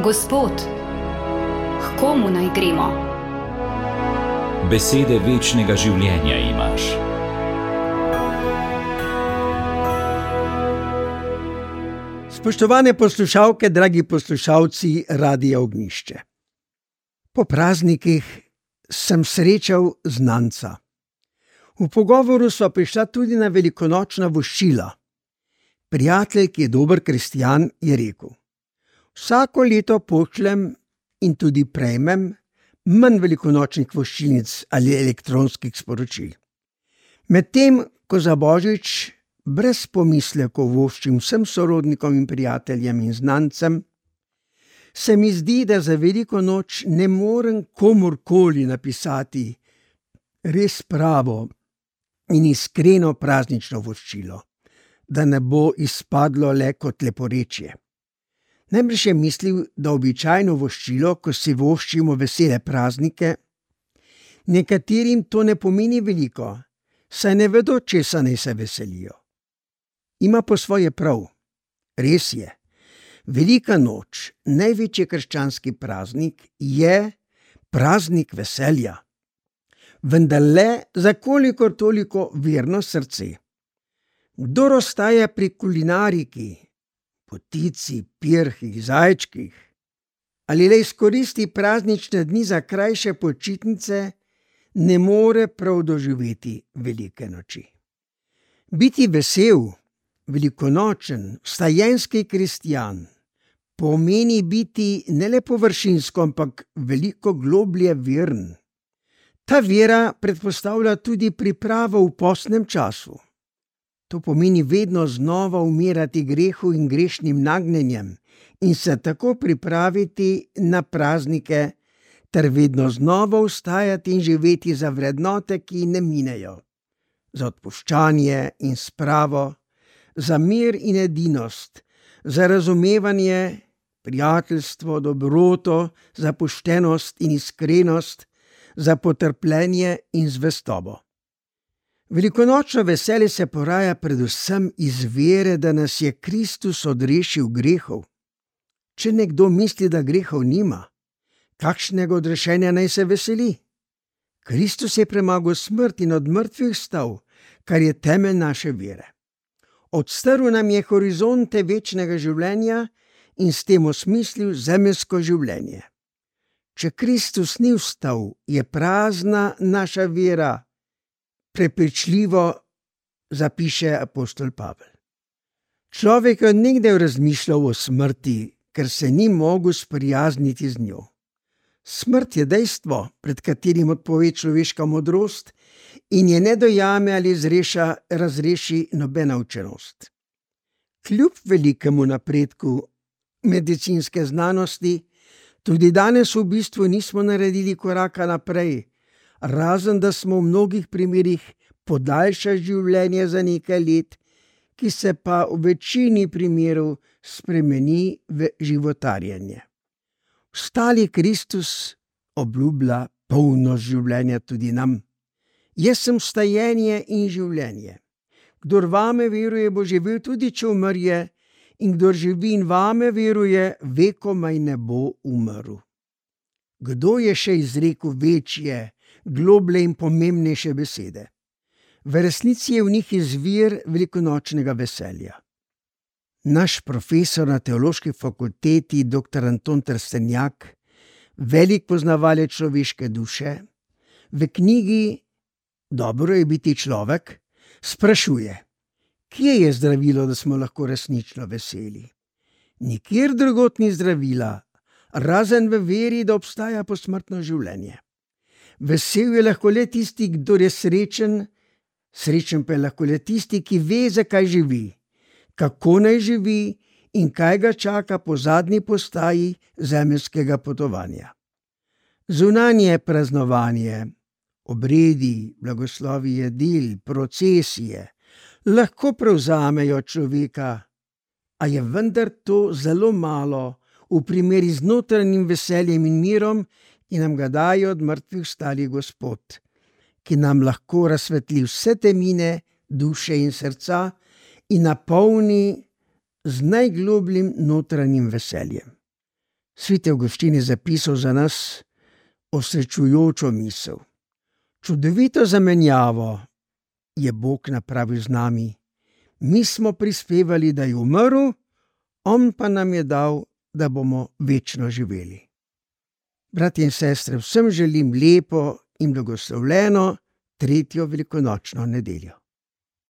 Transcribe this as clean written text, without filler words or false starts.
Gospod, k komu naj gremo? Besede večnega življenja imaš. Spoštovane poslušalke, dragi poslušalci Radia Ognjišče. Po praznikih sem srečal znanca. V pogovoru sva prišla tudi na velikonočna voščila. Prijatelj, ki je dober kristjan, je rekel: vsako leto pošljem in tudi prejmem manj velikonočnih voščilnic ali elektronskih sporočil. Medtem ko za Božič brez pomislekov voščim vsem sorodnikom in prijateljem in znancem, se mi zdi, da za veliko noč ne morem komurkoli napisati res pravo in iskreno praznično voščilo, da ne bo izpadlo le kot leporečje. Najbrž je mislil, da običajno voščilo, ko si voščimo vesele praznike, nekaterim to ne pomeni veliko, saj ne vedo, česa naj se veselijo. Ima po svoje prav. Res je, velika noč, največji krščanski praznik, je praznik veselja. Vendar le za kolikor toliko verno srce. Kdor ostaja pri kulinariki, potici, pirhih, zajčkih, ali le izkoristi praznične dni za krajše počitnice, ne more prav doživeti velike noči. Biti vesel, velikonočen, vstajenski kristjan pomeni biti ne le površinsko, ampak veliko globlje veren. Ta vera predpostavlja tudi pripravo v postnem času. To pomeni vedno znova umirati grehu in grešnim nagnjenjem in se tako pripraviti na praznike ter vedno znova vstajati in živeti za vrednote, ki ne minejo. Za odpuščanje in spravo, za mir in edinost, za razumevanje, prijateljstvo, dobroto, za poštenost in iskrenost, za potrpljenje in zvestobo. Velikonočno veselje se poraja predvsem iz vere, da nas je Kristus odrešil grehov. Če nekdo misli, da grehov nima, kakšnega odrešenja naj se veseli? Kristus je premagal smrt in od mrtvih vstal, kar je temelj naše vere. Odstrl nam je horizonte večnega življenja in s tem osmislil zemeljsko življenje. Če Kristus ni vstal, je prazna naša vera, prepričljivo zapiše apostol Pavel. Človek je od nekdaj razmišljal o smrti, ker se ni mogel sprijazniti z njo. Smrt je dejstvo, pred katerim odpove človeška modrost in je ne dojame ali razreši nobena učenost. Kljub velikemu napredku medicinske znanosti, tudi danes v bistvu nismo naredili koraka naprej, razen da smo v mnogih primerih podaljšali življenje za nekaj let, ki se pa v večini primerov spremeni v životarjenje. Vstali Kristus obljublja polnost življenja tudi nam. Jaz sem vstajenje in življenje. Kdor vame veruje, bo živel tudi, če umrje, in kdor živi in vame veruje, vekomaj ne bo umrl. Kdo je še izrekel večje, globlje in pomembnejše besede? V resnici je v njih izvir velikonočnega veselja. Naš profesor na teološki fakulteti, dr. Anton Trstenjak, velik poznavalec človeške duše, v knjigi Dobro je biti človek sprašuje, kje je zdravilo, da smo lahko resnično veseli? Nikjer drugod ni zdravila, razen v veri, da obstaja posmrtno življenje. Vesel je lahko le tisti, kdor je srečen, srečen pa je lahko le tisti, ki ve, zakaj živi, kako naj živi in kaj ga čaka po zadnji postaji zemeljskega potovanja. Zunanje praznovanje, obredi, blagoslovi jedil, procesije lahko prevzamejo človeka, a je vendar to zelo malo v primeri z notranjim veseljem in mirom, ki nam ga daje od mrtvih vstali Gospod, ki nam lahko razsvetli vse temine duše in srca in napolni z najglobljim notranjim veseljem. Sveti Avguštin je zapisal za nas osrečujočo misel. Čudovito zamenjavo je Bog napravil z nami. Mi smo prispevali, da je umrl, on pa nam je dal, da bomo večno živeli. Bratje in sestre, vsem želim lepo in blagoslovljeno 3. velikonočno nedeljo.